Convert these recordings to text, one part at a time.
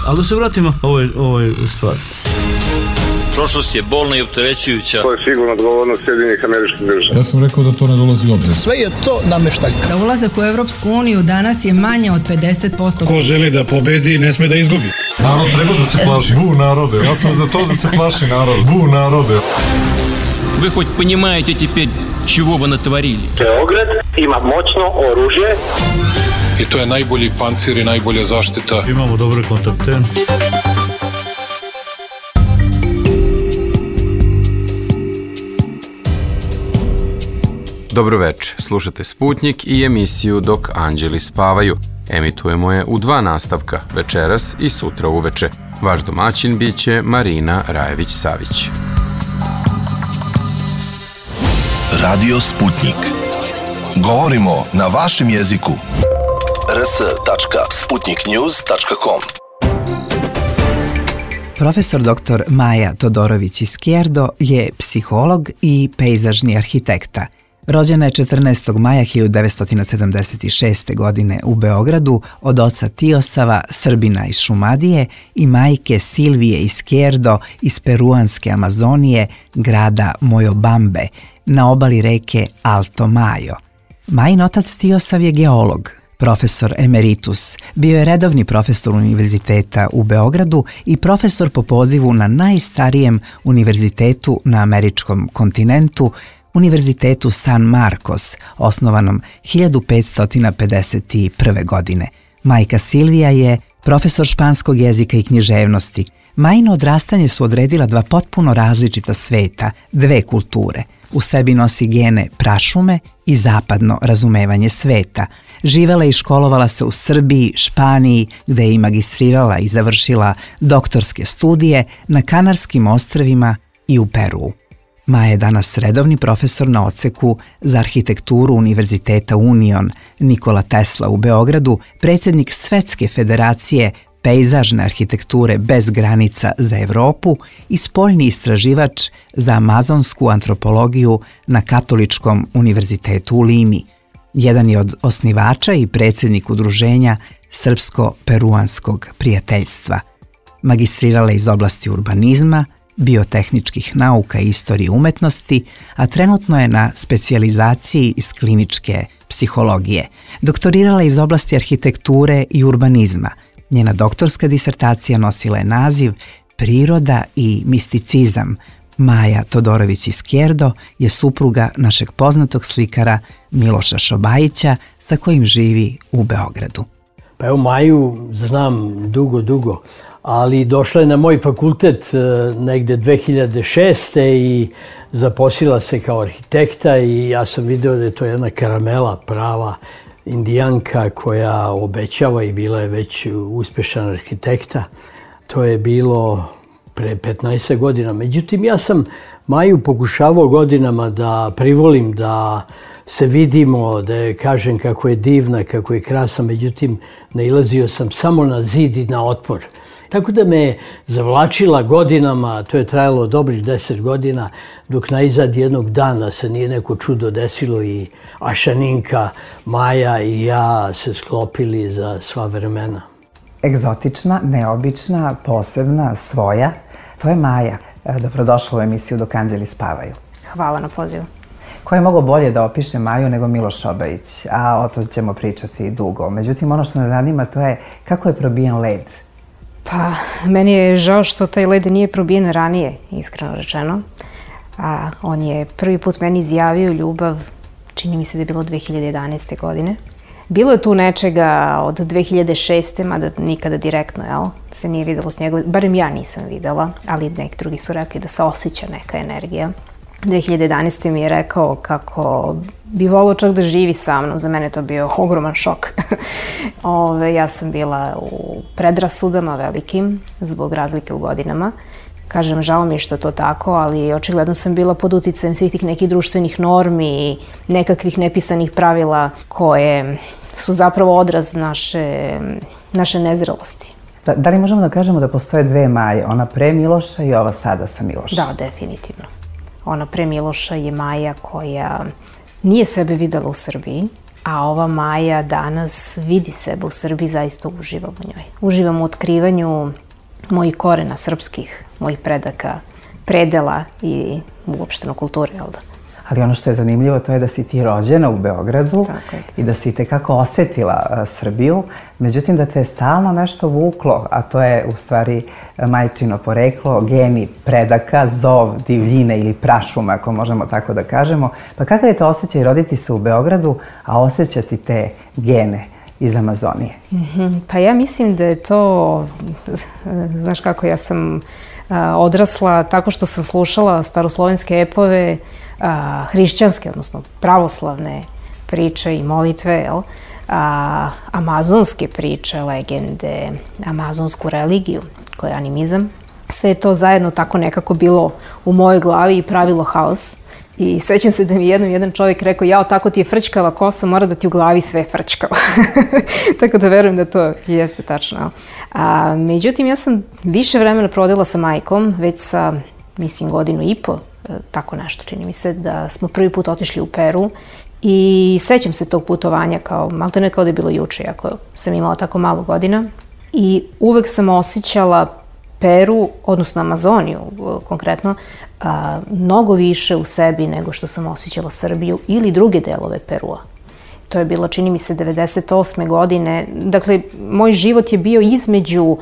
Ali da se vratimo ovoj stvari. Prošlost je bolna i opterećujuća. To je sigurno odgovornost Sjedinjenih Američkih Država. Ja sam rekao da to ne dolazi u obzir. Sve je to nameštaljka. Za ulazak u Evropsku uniju danas je manje od 50%. Ko želi da pobedi, ne sme da izgubi. Narod treba da se plaši. Bu narode. Ja sam za to da se plaši narod. Bu narode. Вы хоть понимаете теперь, чего вы натворили? Beograd ima moćno oružje. I to je najbolji pancir i najbolja zaštita. Imamo dobre kontakte. Dobro večer, slušate Sputnjik i emisiju Dok anđeli spavaju. Emitujemo je u 2 nastavka, večeras i sutra uveče. Vaš domaćin biće Marina Rajević-Savić. Radio Sputnik. Govorimo na vašem jeziku. rs.sputniknews.com. Profesor dr. Maja Todorović-Izquierdo je psiholog i pejzažni arhitekta. Rođena je 14. maja 1976. godine u Beogradu od oca Tiosava, Srbina iz Šumadije, i majke Silvije Izquierdo iz peruanske Amazonije, grada Moyobambe, na obali reke Alto Mayo. Majin otac Tiosav je geolog, profesor emeritus, bio je redovni profesor univerziteta u Beogradu i profesor po pozivu na najstarijem univerzitetu na američkom kontinentu, Univerzitetu San Marcos, osnovanom 1551. godine. Majka Silvija je profesor španskog jezika i književnosti. Majino odrastanje su odredila 2 potpuno različita sveta, 2 kulture. U sebi nosi gene prašume i zapadno razumevanje sveta. Živela i školovala se u Srbiji, Španiji, gde je i magistrirala i završila doktorske studije, na Kanarskim ostrvima i u Peruu. Maja je danas redovni profesor na odseku za arhitekturu Univerziteta Union Nikola Tesla u Beogradu, predsjednik Svetske federacije pejzažne arhitekture bez granica za Evropu i spoljni istraživač za amazonsku antropologiju na Katoličkom univerzitetu u Limi. Jedan je od osnivača i predsjednik udruženja Srpsko-peruanskog prijateljstva. Magistrirala je iz oblasti urbanizma, biotehničkih nauka i istorije umetnosti, a trenutno je na specijalizaciji iz kliničke psihologije. Doktorirala je iz oblasti arhitekture i urbanizma. Njena doktorska disertacija nosila je naziv Priroda i misticizam. Maja Todorović-Izquierdo je supruga našeg poznatog slikara Miloša Šobajića, sa kojim živi u Beogradu. Pa evo, Maju znam dugo, ali došla je na moj fakultet negde 2006. i zaposlila se kao arhitekta i ja sam video da je to jedna karamela, prava indijanka koja obećava i bila je već uspešan arhitekta. To je bilo pre 15 godina. Međutim, ja sam Maju pokušavao godinama da privolim, da se vidimo, da je kažem kako je divna, kako je krasna. Međutim, nailazio sam samo na zid i na otpor. Tako da me je zavlačila godinama, to je trajalo dobrih 10 godina, dok naizad jednog dana se nije neko čudo desilo i Ašaninka, Maja i ja se sklopili za sva vremena. Egzotična, neobična, posebna, svoja. To je Maja. Dobrodošla u emisiju Dok anđeli spavaju. Hvala na pozivu. Ko je mogao bolje da opiše Maju nego Miloš Šobajić, a o to ćemo pričati dugo. Međutim, ono što nas zanima to je kako je probijen led. Pa, meni je žao što taj led nije probijen ranije, iskreno rečeno. On je prvi put meni izjavio ljubav, čini mi se da je bilo 2011. godine. Bilo je tu nečega od 2006. mada nikada direktno, se nije videlo s njegove, barem ja nisam videla, ali neki drugi su rekli da se osjeća neka energija. 2011. mi je rekao kako bi volio čak da živi sa mnom. Za mene to bio ogroman šok. Ja sam bila u predrasudama velikim zbog razlike u godinama. Kažem, žao mi je što je to tako, ali očigledno sam bila pod uticajem svih tih nekih društvenih normi i nekakvih nepisanih pravila koje su zapravo odraz naše nezrelosti. Da li možemo da kažemo da postoje 2 Maje, ona pre Miloša i ova sada sa Milošem? Da, definitivno. Ona pre Miloša je Maja koja nije sebe videla u Srbiji, a ova Maja danas vidi sebe u Srbiji, zaista uživam u njoj. Uživam u otkrivanju mojih korena srpskih, mojih predaka, predela i uopšteno kulture, jel da? Ali ono što je zanimljivo to je da si ti rođena u Beogradu i da si tekako osetila Srbiju, međutim da te je stalno nešto vuklo, a to je u stvari majčino poreklo, geni predaka, zov divljine ili prašuma, ako možemo tako da kažemo. Pa kakav je to osjećaj roditi se u Beogradu, a osjećati te gene iz Amazonije? Pa ja mislim da je to, znaš kako, ja sam odrasla tako što sam slušala staroslovenske epove, hrišćanske, odnosno pravoslavne priče i molitve, amazonske priče, legende, amazonsku religiju, koja je animizam. Sve je to zajedno tako nekako bilo u mojoj glavi i pravilo haos. I sećam se da mi jedan čovjek rekao, jao, tako ti je frčkava kosa, mora da ti u glavi sve frčkava. Tako da verujem da to jeste tačno. Međutim, ja sam više vremena prodala sa majkom, već sa, mislim, 1.5 godina, tako nešto, čini mi se, da smo prvi put otišli u Peru i sećam se tog putovanja kao, maltene kao da je bilo juče, ako sam imala tako malo godina. I uvek sam osjećala Peru, odnosno Amazoniju konkretno, mnogo više u sebi nego što sam osjećala Srbiju ili druge delove Perua. To je bilo, čini mi se, 98. godine. Dakle, moj život je bio između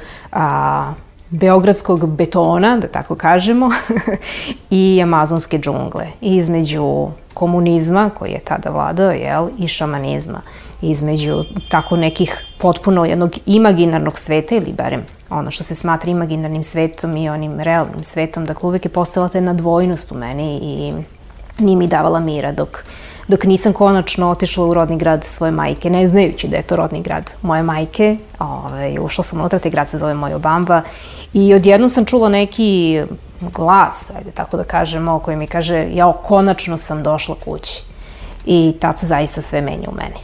beogradskog betona, da tako kažemo, i amazonske džungle. Između komunizma, koji je tada vladao, i šamanizma. Između tako nekih potpuno jednog imaginarnog sveta, ili barem ono što se smatra imaginarnim svetom i onim realnim svetom. Dakle, uvek je postojala ta jedna dvojnost u meni i nije mi davala mira dok nisam konačno otišla u rodni grad svoje majke, ne znajući da je to rodni grad moje majke. Ušla sam unutra, taj grad se zove Moyobamba i odjednom sam čula neki glas, ajde tako da kažemo, koji mi kaže, jao, konačno sam došla kući. I tad se zaista sve menja u meni.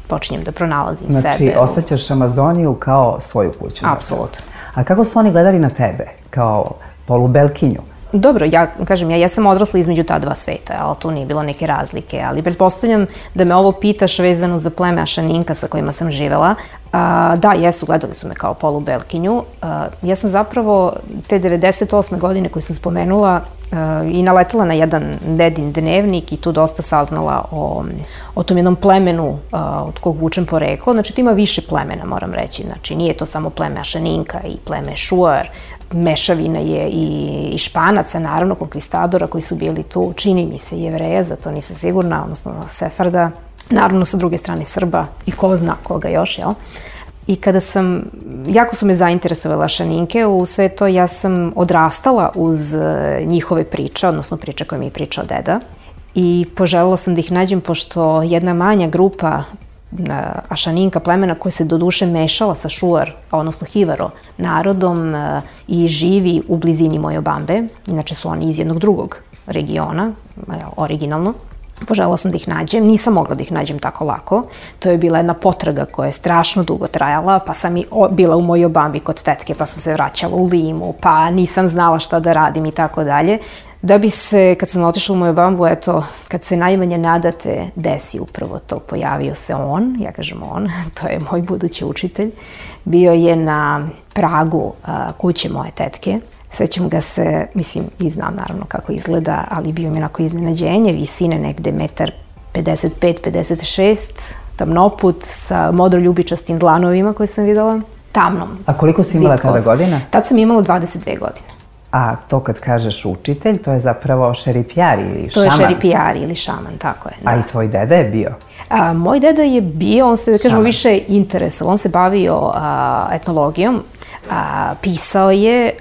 Počinjem da pronalazim sebe. Znači, osjećaš Amazoniju kao svoju kuću? Apsolutno. A kako su oni gledali na tebe, kao polubelkinju? Dobro, ja sam odrasla između ta dva sveta, ali tu nije bilo neke razlike, ali pretpostavljam da me ovo pitaš vezano za pleme Ašaninka sa kojima sam živela. Da, jesu, gledali su me kao polubelkinju. Ja sam zapravo te 98. godine koje sam spomenula i naletela na jedan dedin dnevnik i tu dosta saznala o tom jednom plemenu od kog vučem poreklo. Znači, tu ima više plemena, moram reći. Znači, nije to samo pleme Ašaninka i pleme Šuar, mešavina je i Španaca, naravno, konkvistadora koji su bili tu, čini mi se Jevreja, za to nisam sigurna, odnosno Sefarda, naravno sa druge strane Srba i ko zna koga još, jel? I kada jako su me zainteresovale Ašaninke, u sve to ja sam odrastala uz njihove priče, odnosno priče koje mi je pričao deda i poželjela sam da ih nađem pošto jedna manja grupa Ašaninka plemena koja se doduše mešala sa Šuar, odnosno Hivaro narodom i živi u blizini Moyobambe, inače su oni iz jednog drugog regiona, originalno. Poželjela sam da ih nađem, nisam mogla da ih nađem tako lako. To je bila jedna potraga koja je strašno dugo trajala, pa sam i bila u Moyobambi kod tetke, pa sam se vraćala u Limu, pa nisam znala šta da radim i tako dalje. Da bi se, kad sam otišla u Moyobambu, eto, kad se najmanje nadate, desi upravo to. Pojavio se on, ja kažem on, to je moj budući učitelj. Bio je na pragu kuće moje tetke. Sećam ga se, mislim, i znam naravno kako izgleda, ali bio mi onako iznenađenje, visine negde 1,55-56 m, tamnoput sa modroljubičastim dlanovima koje sam videla, tamnom. A koliko si imala tada godina? Tad sam imala 22 godine. A to kad kažeš učitelj, to je zapravo šeripijari ili šaman? To je šeripijari ili šaman, tako je. A i tvoj deda je bio? Moj deda je bio, on se, da kažemo, više interesovao, on se bavio etnologijom, pisao je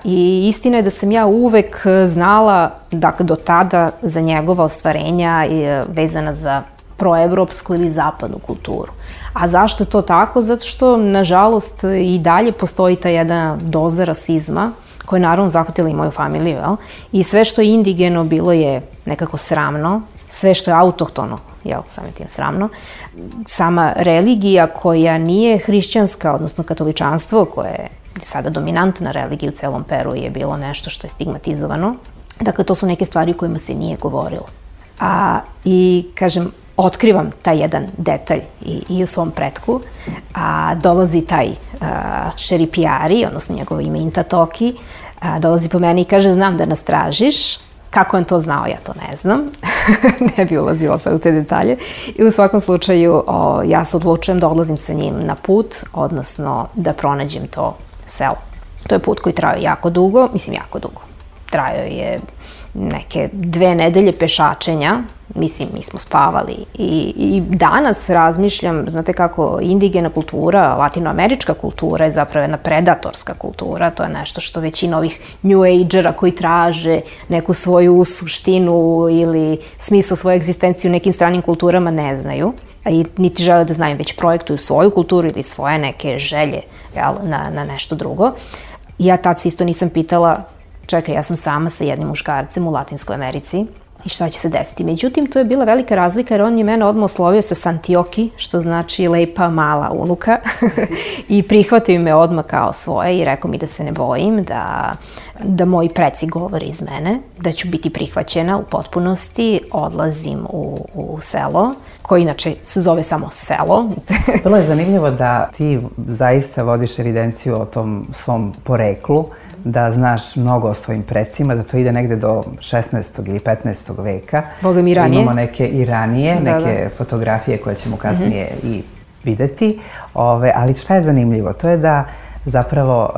i istina je da sam ja uvek znala, dakle do tada, za njegova ostvarenja vezana za proevropsku ili zapadnu kulturu. A zašto je to tako? Zato što, nažalost, i dalje postoji ta jedna doza rasizma koja je naravno zahvatila i moju familiju, jel? I sve što je indigeno bilo je nekako sramno, sve što je autohtono, jel, samim tim sramno. Sama religija koja nije hrišćanska, odnosno katoličanstvo, koje je sada dominantna religija u celom Peru, je bilo nešto što je stigmatizovano. Dakle, to su neke stvari o kojima se nije govorilo. I, kažem, otkrivam taj jedan detalj i u svom pretku, a dolazi taj Šeripiari, odnosno njegovo ime Inta Toki, dolazi po meni i kaže, znam da nas tražiš. Kako on to znao, ja to ne znam. Ne bi ulazila sad u te detalje. I u svakom slučaju ja se odlučujem da odlazim sa njim na put, odnosno da pronađem to selo. To je put koji trajao jako dugo, jako dugo. Trajao je neke 2 nedelje pešačenja, mi smo spavali i danas razmišljam, znate kako indigena kultura, latinoamerička kultura je zapravo jedna predatorska kultura, to je nešto što većina ovih New Agera koji traže neku svoju suštinu ili smisao svoje egzistencije u nekim stranim kulturama ne znaju, i niti žele da znaju, već projektuju svoju kulturu ili svoje neke želje na nešto drugo. I ja tad se isto nisam pitala, čekaj, ja sam sama sa jednim muškarcem u Latinskoj Americi i šta će se desiti. Međutim, to je bila velika razlika jer on je mene odmah oslovio sa Santioki, što znači lepa mala unuka i prihvatio me odmah kao svoje i rekao mi da se ne bojim, da moji preci govore iz mene, da ću biti prihvaćena u potpunosti, odlazim u selo, koje inače se zove samo selo. Vrlo je zanimljivo da ti zaista vodiš evidenciju o tom svom poreklu, da znaš mnogo o svojim precima, da to ide negde do 16. ili 15. veka. Boga mi ranije. Imamo neke i ranije, neke fotografije koje ćemo kasnije i videti. Ali šta je zanimljivo? To je da zapravo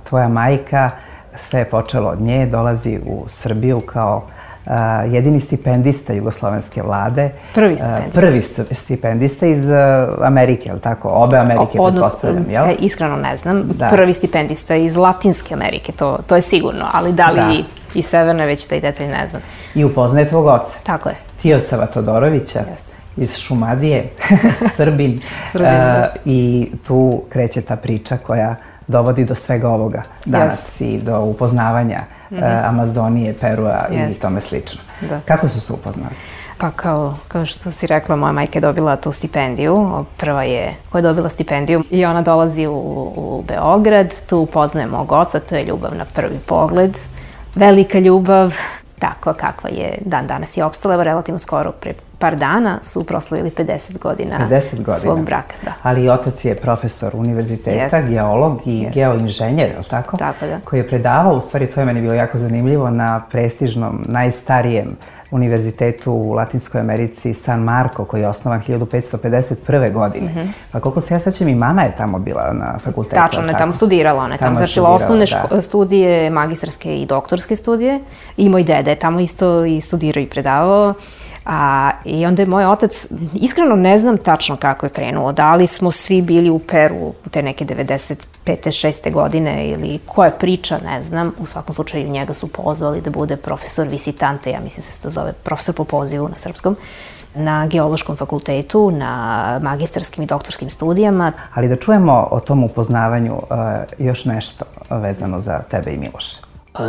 tvoja majka, sve je počelo od nje, dolazi u Srbiju kao jedini stipendista jugoslovenske vlade. Prvi stipendista iz Amerike, je li tako? Obe Amerike, pretpostavljam, jel? Iskreno ne znam. Prvi stipendista iz Latinske Amerike, to je sigurno, ali da li i Severne, već taj detalj ne znam. I upoznaje tvog oca. Tako je. Tijosava Todorovića, iz Šumadije, Srbin. I tu kreće ta priča koja dovodi do svega ovoga danas i do upoznavanja Amazonije, Perua i tome slično. Kako su se upoznali? Pa kao što si rekla, moja majka je dobila tu stipendiju, prva je koja je dobila stipendiju i ona dolazi u Beograd, tu upoznaje mog oca, to je ljubav na prvi pogled, velika ljubav, tako kakva je dan danas je opstala, relativno skoro pre par dana su proslavili 50 godina svog braka. Ali i otac je profesor univerziteta, geolog i geoinženjer, je li tako? Tako da. Koji je predavao, u stvari to je meni bilo jako zanimljivo, na prestižnom, najstarijem univerzitetu u Latinskoj Americi San Marco, koji je osnovan 1551. godine. Pa koliko se ja sećam, i mama je tamo bila na fakultetu. Tačno, ona je tamo studirala, ona je tamo završila osnovne studije, magistarske i doktorske studije. I moj dede je tamo isto i studirao i predavao. I onda je moj otac, iskreno ne znam tačno kako je krenuo, da li smo svi bili u Peru u te neke 95. 6. godine ili koja priča, ne znam. U svakom slučaju njega su pozvali da bude profesor visitante, ja mislim se to zove profesor po pozivu na srpskom, na geološkom fakultetu, na magistarskim i doktorskim studijama. Ali da čujemo o tom upoznavanju još nešto vezano za tebe i Miloša.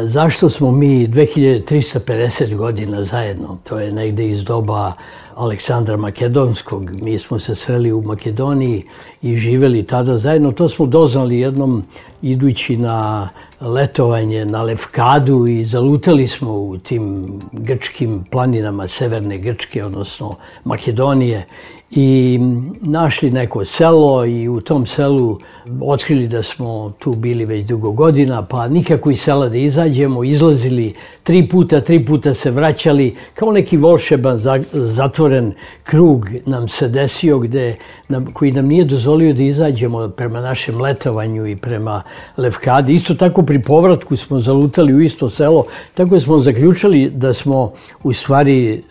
Zašto smo mi 2350 godina zajedno? To je negde iz doba Aleksandra Makedonskog. Mi smo se sreli u Makedoniji i živeli tada zajedno. To smo doznali jednom idući na letovanje na Lefkadu i zalutali smo u tim grčkim planinama severne Grčke, odnosno Makedonije, i našli neko selo i u tom selu otkrili da smo tu bili već dugo godina, pa nikako iz sela da izađemo, izlazili 3 puta se vraćali, kao neki volšeban zatvoren krug nam se desio koji nam nije dozvolio da izađemo prema našem letovanju i prema Lefkadi. Isto tako pri povratku smo zalutali u isto selo, tako smo zaključili da smo u stvari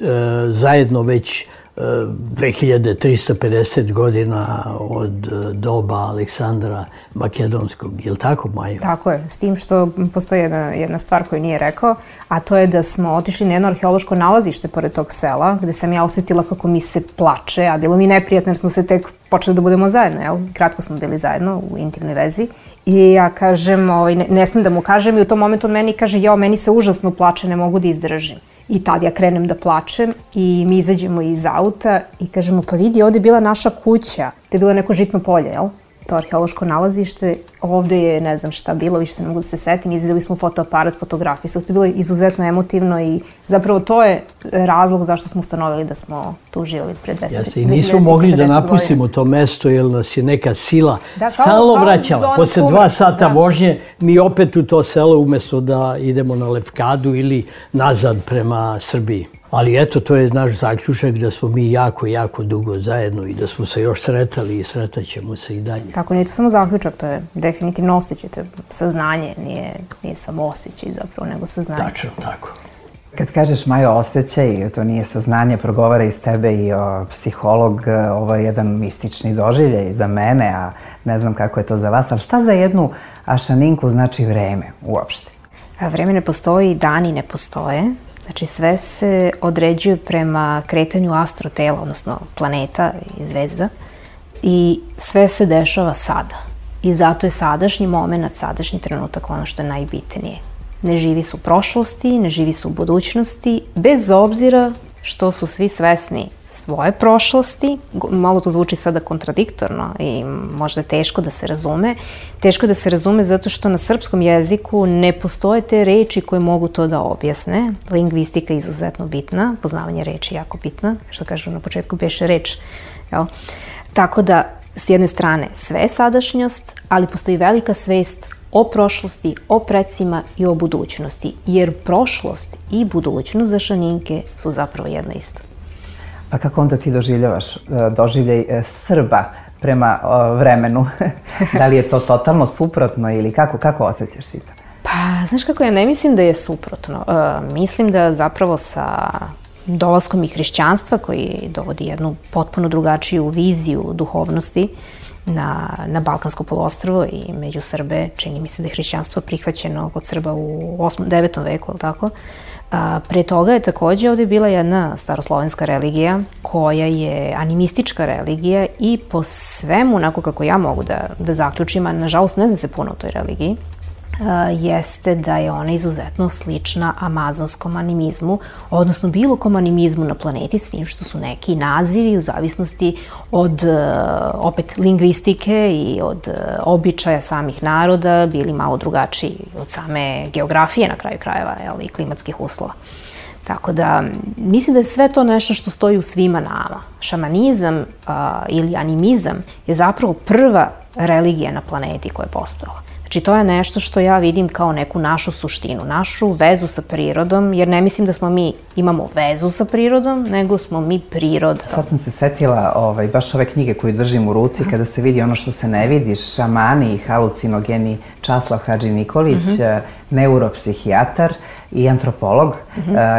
zajedno već 2350 godina od doba Aleksandra Makedonskog. Je li tako, Majo? Tako je, s tim što postoji jedna stvar koju nije rekao, a to je da smo otišli na jedno arheološko nalazište pored tog sela, gde sam ja osjetila kako mi se plače, a bilo mi neprijatno jer smo se tek počeli da budemo zajedno, jel? Kratko smo bili zajedno u intimnoj vezi. I ja kažem, ne smijem da mu kažem, i u tom momentu on meni kaže, meni se užasno plače, ne mogu da izdržim. I tad ja krenem da plačem i mi izađemo iz auta i kažemo, pa vidi, ovde je bila naša kuća. To je bilo neko žitno polje, jel? To arheološko nalazište. Ovde je, ne znam šta bilo, više se ne mogu da se setim. Izvedeli smo fotoaparat, fotografisali. To je bilo izuzetno emotivno i zapravo to je razlog zašto smo ustanovili da smo tu živjeli pre 250 godina. Jeste, i nismo mogli da napustimo to mesto jer nas je neka sila da, stalno vraćala. Posle 2 sata vožnje mi opet u to selo umjesto da idemo na Lefkadu ili nazad prema Srbiji. Ali eto, to je naš zaključak da smo mi jako, jako dugo zajedno i da smo se još sretali i sretaćemo se i dalje. Tako, nije to samo zaključak, to je definitivno osjećaj, to je saznanje, nije samo osjećaj zapravo, nego saznanje. Tačno, tako. Kad kažeš, Majo, osjećaj, to nije saznanje, progovara iz tebe i psiholog, ovo je jedan mistični doživljaj za mene, a ne znam kako je to za vas, ali šta za jednu Ašaninku znači vreme uopšte? Vreme ne postoji, dani ne postoje. Znači sve se određuje prema kretanju astrotela, odnosno planeta i zvezda, i sve se dešava sada. I zato je sadašnji moment, sadašnji trenutak ono što je najbitnije. Ne živi se u prošlosti, ne živi se u budućnosti, bez obzira što su svi svesni svoje prošlosti. Malo to zvuči sada kontradiktorno i možda je teško da se razume. Teško je da se razume zato što na srpskom jeziku ne postoje te reči koje mogu to da objasne. Lingvistika je izuzetno bitna, poznavanje reči je jako bitna, što kažu na početku beše reč. Jel? Tako da, s jedne strane, sve je sadašnjost, ali postoji velika svest o prošlosti, o precima i o budućnosti, jer prošlost i budućnost za Šaninke su zapravo jedno isto. A kako onda ti doživljavaš doživljaj Srba prema vremenu? Da li je to totalno suprotno ili kako osjećaš ti to? Pa, znaš kako, ja ne mislim da je suprotno. Mislim da zapravo sa dolaskom i hrišćanstva, koji dovodi jednu potpuno drugačiju viziju duhovnosti na Balkansko poluostrvo i među Srbe, čini mi se da je hrišćanstvo prihvaćeno kod Srba u 8. 9. veku, ali tako? Pre toga je takođe ovdje bila jedna staroslovenska religija koja je animistička religija i po svemu, onako kako ja mogu da zaključim, a nažalost ne znam se puno o toj religiji, jeste da je ona izuzetno slična amazonskom animizmu, odnosno bilo kom animizmu na planeti, s tim što su neki nazivi u zavisnosti od opet lingvistike i od običaja samih naroda bili malo drugačiji od same geografije na kraju krajeva i klimatskih uslova. Tako da, mislim da je sve to nešto što stoji u svima nama. Šamanizam ili animizam je zapravo prva religija na planeti koja je postojala. Znači, to je nešto što ja vidim kao neku našu suštinu, našu vezu sa prirodom, jer ne mislim da mi imamo vezu sa prirodom, nego smo mi priroda. Sad sam se setila baš ove knjige koju držim u ruci, kada se vidi ono što se ne vidi, Šamani i halucinogeni, Časlav Hadži Nikolić, neuropsihijatar i antropolog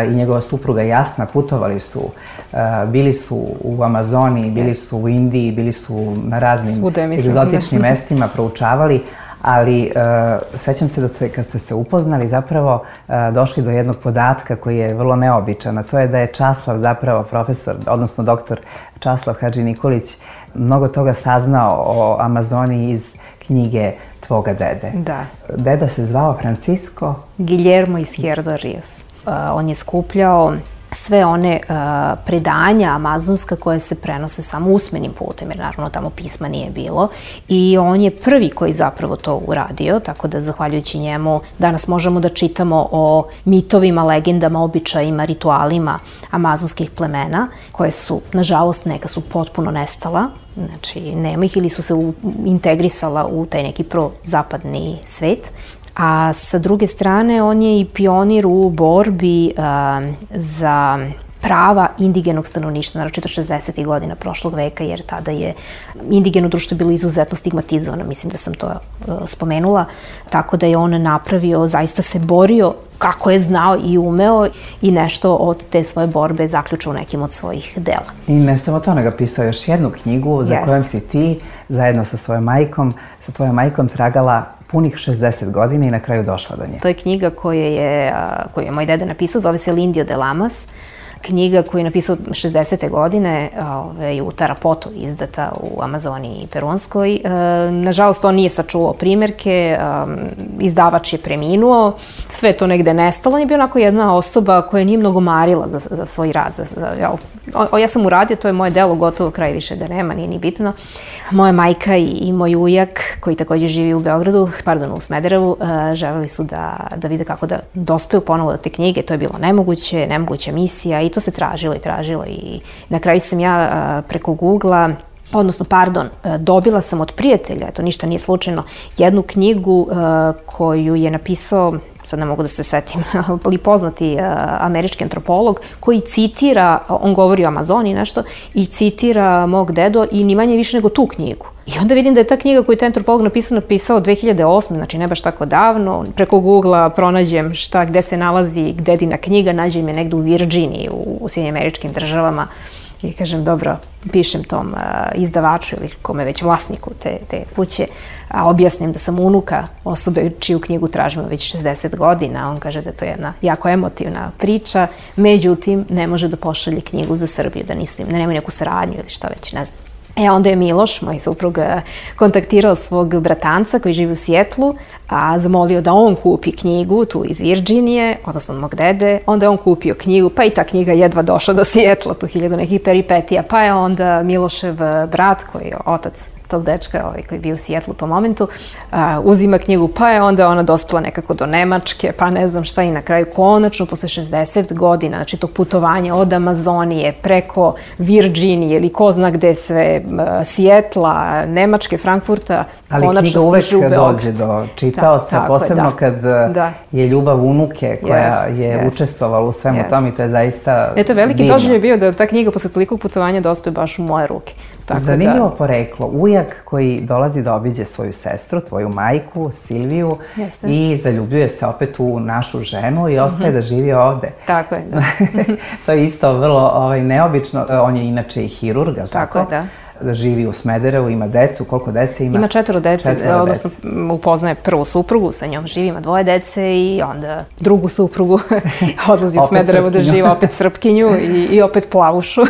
i njegova supruga Jasna putovali su, bili su u Amazoniji, bili su u Indiji, bili su na raznim egzotičnim mestima, proučavali, ali sećam se da ste, kad ste se upoznali, zapravo došli do jednog podatka koji je vrlo neobičan, a to je da je Časlav zapravo profesor, odnosno doktor Časlav Hadži Nikolić, mnogo toga saznao o Amazoniji iz knjige tvoga dede. Da. Deda se zvao Francisco Guillermo Izquierdo Ríos. On je skupljao sve one predanja amazonska koje se prenose samo usmenim putem, jer naravno tamo pisma nije bilo. I on je prvi koji zapravo to uradio, tako da zahvaljujući njemu danas možemo da čitamo o mitovima, legendama, običajima, ritualima amazonskih plemena, koje su, nažalost, neka su potpuno nestala. Znači, nema ih ili su se integrisala u taj neki prozapadni svet. A sa druge strane, on je i pionir u borbi za prava indigenog stanovništva, naročito 60. godina prošlog veka, jer tada je indigeno društvo bilo izuzetno stigmatizovano, mislim da sam to spomenula, tako da je on napravio, zaista se borio kako je znao i umeo i nešto od te svoje borbe zaključao u nekim od svojih dela. I ne samo to, nego pisao još jednu knjigu za kojom si ti, zajedno sa svojom majkom, tragala punih 60 godina i na kraju došla do nje. To je knjiga koju je moj deda napisao, zove se Lindio de Lamas. Knjiga koju je napisao 60. godine u Tarapoto, izdata u Amazoniji i Perunskoj. Nažalost, on nije sačuvao primjerke, izdavač je preminuo, sve to negde nestalo. On je bio onako jedna osoba koja nije mnogo marila za svoj rad. Ja sam uradio, to je moje delo, gotovo, kraj više ga nema, nije ni bitno. Moja majka i moj ujak, koji također živi u Beogradu, u Smederevu, želeli su da vide kako da dospeju ponovo do te knjige. To je bilo nemoguća misija i to se tražilo i na kraju sam ja preko Google-a, odnosno, dobila sam od prijatelja, to ništa nije slučajno, jednu knjigu koju je napisao, sad ne mogu da se setim, ali poznati američki antropolog, koji citira, on govori o Amazoniji nešto, i citira mog dedu i ni manje više nego tu knjigu. I onda vidim da je ta knjiga koju je taj antropolog napisao 2008. Znači ne baš tako davno. Preko Google-a pronađem gde se nalazi dedina knjiga, nađem je negde u Virginiji, u Sjedinjenim Američkim Državama. I kažem, dobro, pišem tom izdavaču ili kome već vlasniku te kuće, a objasnim da sam unuka osobe čiju knjigu tražimo već 60 godina. On kaže da je to jedna jako emotivna priča, međutim, ne može da pošalje knjigu za Srbiju, da nemaju neku saradnju ili šta već, ne znam. Onda je Miloš, moj suprug, kontaktirao svog bratanca koji živi u Sijetlu, a zamolio da on kupi knjigu tu iz Virginije, odnosno od mog dede. Onda je on kupio knjigu, pa i ta knjiga jedva došla do Sijetla, tu 1000 nekih peripetija. Pa je onda Milošev brat, koji je otac tog dečka koji je bio u Sijetlu u tom momentu, uzima knjigu, pa je onda ona dospela nekako do Nemačke, pa ne znam šta, i na kraju konačno posle 60 godina, znači tog putovanja od Amazonije preko Virginije ili ko zna gde sve, Sijetla, Nemačke, Frankfurta, ali knjiga uvek dođe do čitaoca, posebno kad je ljubav unuke koja je učestvovala u svemu tom, i to je zaista divno. Veliki doživljaj bio da ta knjiga posle tolikog putovanja dospe baš u moje ruke. Zanimljivo poreklo. Ujak koji dolazi da obiđe svoju sestru, tvoju majku, Silviju, i zaljubljuje se opet u našu ženu i ostaje da živi ovde. Tako je, da. To je isto vrlo neobično. On je inače i hirurg, ali tako? Tako je, da. Živi u Smederevu, ima decu, koliko dece ima? Ima 4 dece, odnosno upoznaje prvu suprugu, sa njom živi, ima 2 dece i onda drugu suprugu odlazi u Smederevu da živi, opet Srpkinju i opet plavušu.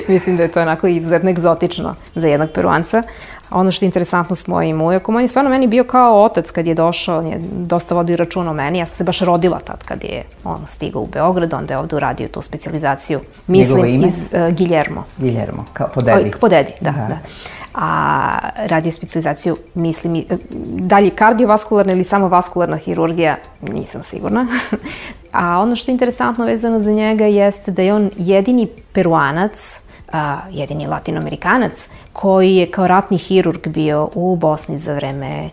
Mislim da je to onako izuzetno egzotično za jednog Peruanca. Ono što je interesantno s mojim ujakom, on je stvarno meni bio kao otac kad je došao, on je dosta vodio računa o meni, ja sam se baš rodila tad kad je on stigao u Beograd, onda je ovde uradio tu specijalizaciju, mislim iz Guillermo. Guillermo, kao po dedi. Po dedi, da. A radio specijalizaciju, mislim, da li kardiovaskularna ili samo vaskularna hirurgija, nisam sigurna. A ono što je interesantno vezano za njega jeste da je on jedini Peruanac, jedini latinoamerikanac koji je kao ratni hirurg bio u Bosni za vreme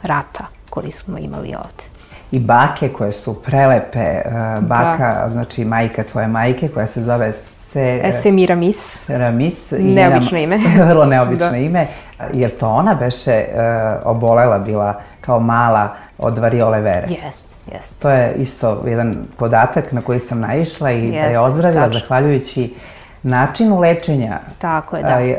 rata koji smo imali ovde. I bake koje su prelepe, baka, znači majka tvoje majke koja se zove Semiramis. Neobično ime. Vrlo neobično ime. Jer to ona beše obolela bila kao mala od variole vere? Jest. To je isto jedan podatak na koji sam naišla i da je ozdravila zahvaljujući načinu lečenja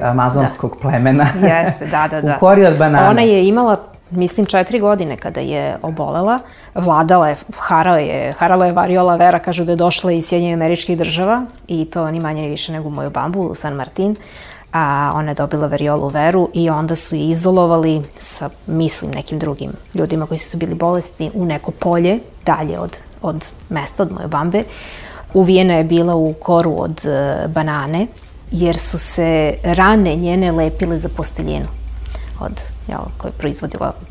amazonskog plemena. Jeste, da. U kori od banana. Ona je imala, mislim, 4 godine kada je obolela. Vladala je, harala je variola vera, kažu da je došla iz Sjedinjenih Američkih Država i to ni manje ni više nego u Moyobambu, u San Martin. A ona je dobila variolu veru i onda su je izolovali sa, mislim, nekim drugim ljudima koji su bili bolesni u neko polje, dalje od mesta, od Moyobambe. Uvijena je bila u koru od banane, jer su se rane njene lepile za posteljinu koju je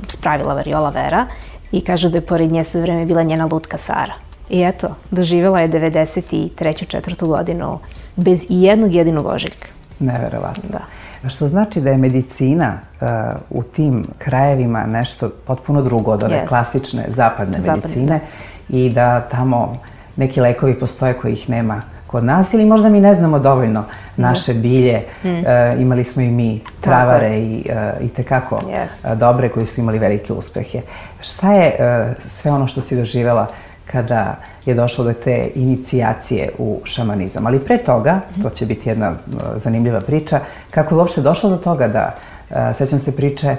spravila variola vera, i kažu da je pored nje sve vreme bila njena lutka Sara. I eto, doživjela je 93. 4. godinu bez i jednog jedinog ožiljka. Neverovatno. Da. Što znači da je medicina u tim krajevima nešto potpuno drugo od ove klasične zapadne medicine i da tamo neki lekovi postoje kojih nema kod nas, ili možda mi ne znamo dovoljno naše bilje. Imali smo i mi travare i tekako dobre koji su imali velike uspehe. Šta je sve ono što si doživjela kada je došlo do te inicijacije u šamanizam? Ali pre toga, to će biti jedna zanimljiva priča, kako je uopšte došlo do toga da, sećam se priče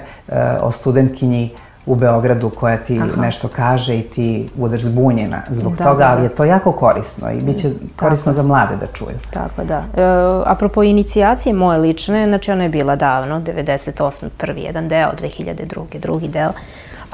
o studentkinji u Beogradu koja ti nešto kaže i ti budeš zbunjena zbog toga, ali je to jako korisno i bit će korisno za mlade da čuju. Tako, da. Apropo inicijacije moje lične, znači ona je bila davno, 98. prvi jedan deo, 2002. drugi deo,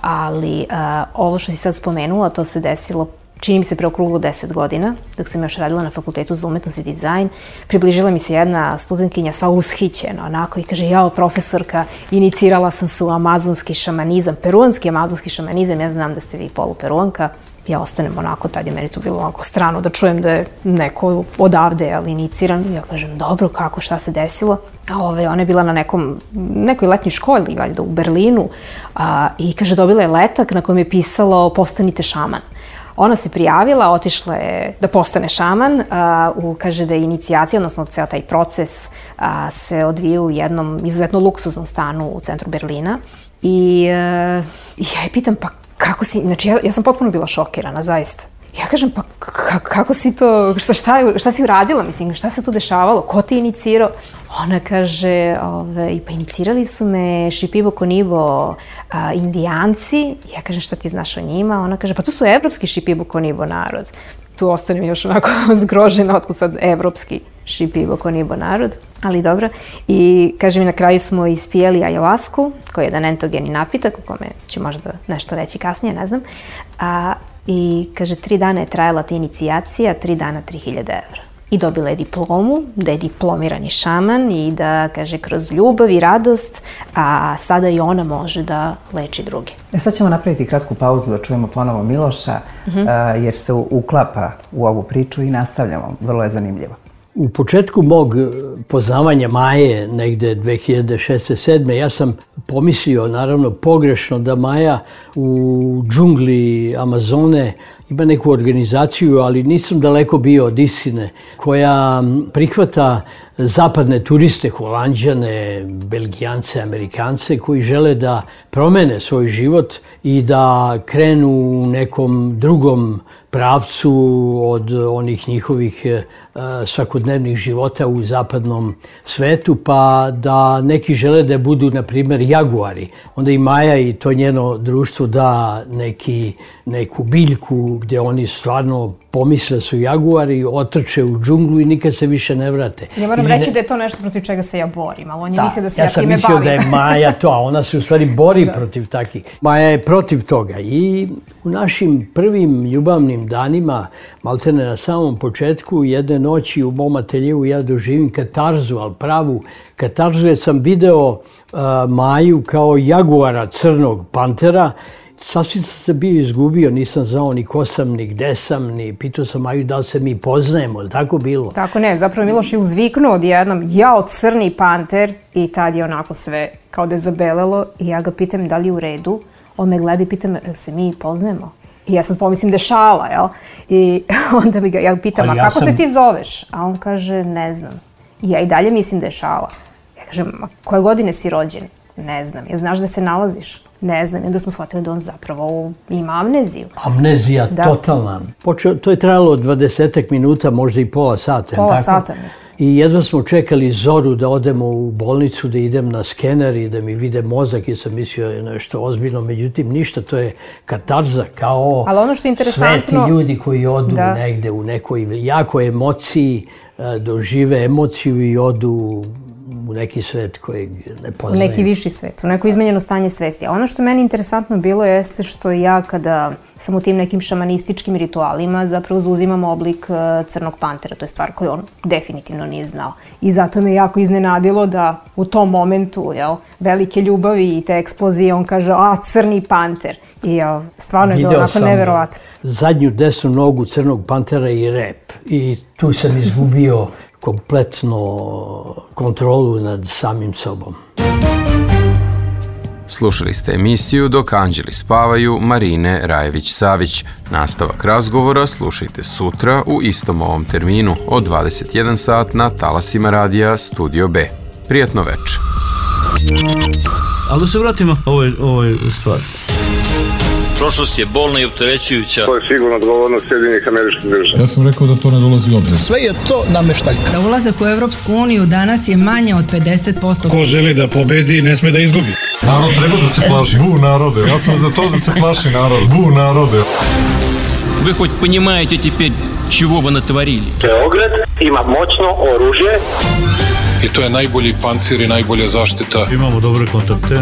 ali ovo što si sad spomenula, to se desilo čini mi se preokruglo 10 godina, dok sam još radila na Fakultetu za umetnost i dizajn. Približila mi se jedna studentkinja sva ushićena, onako, i kaže, jao, profesorka, inicirala sam se u amazonski šamanizam, peruanski amazonski šamanizam, ja znam da ste vi poluperuanka. Ja ostanem onako, tad je meni to bilo onako strano da čujem da je neko odavde, ali iniciran. Ja kažem, dobro, kako, šta se desilo? Ona je bila na nekoj letnjoj školi, valjda u Berlinu, i kaže, dobila je letak na kojem je pisalo postanite šaman. Ona se prijavila, otišla je da postane šaman, kaže da je inicijacija, odnosno ceo taj proces se odvija u jednom izuzetno luksuznom stanu u centru Berlina. I ja je pitam, pa kako si, znači ja sam potpuno bila šokirana, zaista. Ja kažem, pa kako si to, šta si uradila, mislim, šta se tu dešavalo, ko te inicirao? Ona kaže, pa inicirali su me Shipibo Konibo Indijanci. Ja kažem, šta ti znaš o njima? Ona kaže, pa to su evropski Shipibo Konibo narod. Tu ostanem još onako zgrožena, otkud sad evropski Shipibo Konibo narod, ali dobro. I kaže mi, na kraju smo ispijeli ajavasku, koji je jedan entogeni napitak, u kome ću možda nešto reći kasnije, ne znam. I kaže, 3 dana je trajala ta inicijacija, 3 dana 3000 evra. I dobila je diplomu, da je diplomirani šaman i da, kaže, kroz ljubav i radost, a sada i ona može da leči druge. Sad ćemo napraviti kratku pauzu da čujemo ponovo Miloša, jer se uklapa u ovu priču i nastavljamo. Vrlo je zanimljivo. U početku mog poznavanja Maje, negde 2006-2007, ja sam pomislio, naravno pogrešno, da Maja u džungli Amazone ima neku organizaciju, ali nisam daleko bio od istine, koja prihvata zapadne turiste, Holanđane, Belgijance, Amerikance, koji žele da promene svoj život i da krenu u nekom drugom pravcu od onih njihovih svakodnevnih života u zapadnom svetu, pa da neki žele da budu, na primjer, jaguari. Onda i Maja i to njeno društvo da neku biljku gdje oni stvarno pomisle su jaguari, otrče u džunglu i nikad se više ne vrate. Ja moram reći da je to nešto protiv čega se ja borim, ali on je mislio da se ja time bavim. Ja sam mislio da je Maja to, a ona se u stvari bori protiv takih. Maja je protiv toga i u našim prvim ljubavnim danima, maltene na samom početku, jedne noći u mom ateljeu ja doživim katarzu, ali pravu katarzu, jer sam video Maju kao jaguara crnog pantera. Sasvim sam se bio izgubio, nisam znao ni ko sam, ni gde sam, ni pitao sam Maju da li se mi poznajemo, ili tako bilo? Tako ne, zapravo Miloš je uzviknuo odjednom, jao, crni panter, i tad je onako sve kao da je zabelelo i ja ga pitam da li je u redu. On me gleda i pita me, se mi poznajemo? I ja sam pomislim da je šala, jel? I onda ja pitam, a kako se ti zoveš? A on kaže, ne znam. I ja i dalje mislim da je šala. Ja kažem, a koje godine si rođen? Ne znam. Ja znaš da se nalaziš? Ne znam. I onda smo shvatili da on zapravo ima amneziju. Amnezija, totalna. To je trajalo 20 minuta, možda i pola sata. Pola sata, mislim. I jedva smo čekali zoru da odemo u bolnicu, da idem na skener i da mi vide mozak, jer sam mislio je nešto ozbiljno. Međutim, ništa, to je katarza, kao sveti ljudi koji odu negde u nekoj jakoj emociji, dožive emociju i odu u neki svet kojeg ne poznaju. U neki viši svet, u neko izmenjeno stanje svesti. A ono što meni interesantno bilo jeste što ja kada sam u tim nekim šamanističkim ritualima zapravo zauzimam oblik crnog pantera. To je stvar koju on definitivno nije znao. I zato me jako iznenadilo da u tom momentu velike ljubavi i te eksplozije on kaže, crni panter. I stvarno je bilo onako neverovatno. Zadnju desnu nogu crnog pantera i rep. I tu sam izgubio kompletno kontrolu nad samim sobom. Slušali ste emisiju Dok anđeli spavaju Marine Rajević-Savić. Nastavak razgovora slušajte sutra u istom ovom terminu od 21 sat na talasima radija Studio B. Prijatno večer. Ali da se vratimo ovoj stvari. Prošlost je bolna i opterećujuća. To je sigurno odgovornost Sjedinjenih Američkih Država. Ja sam rekao da to ne dolazi u obzir. Sve je to nameštaljka. Za ulazak u Evropsku uniju danas je manje od 50%. Ko želi da pobedi, ne sme da izgubi. Narod treba da se plaši. Bu narode. Ja sam za to da se plaši narod. Bu narode. Вы хоть понимаете теперь, чего вы натворили? Beograd ima moćno oružje. I to je najbolji pancir i najbolja zaštita. Imamo dobre kontakte.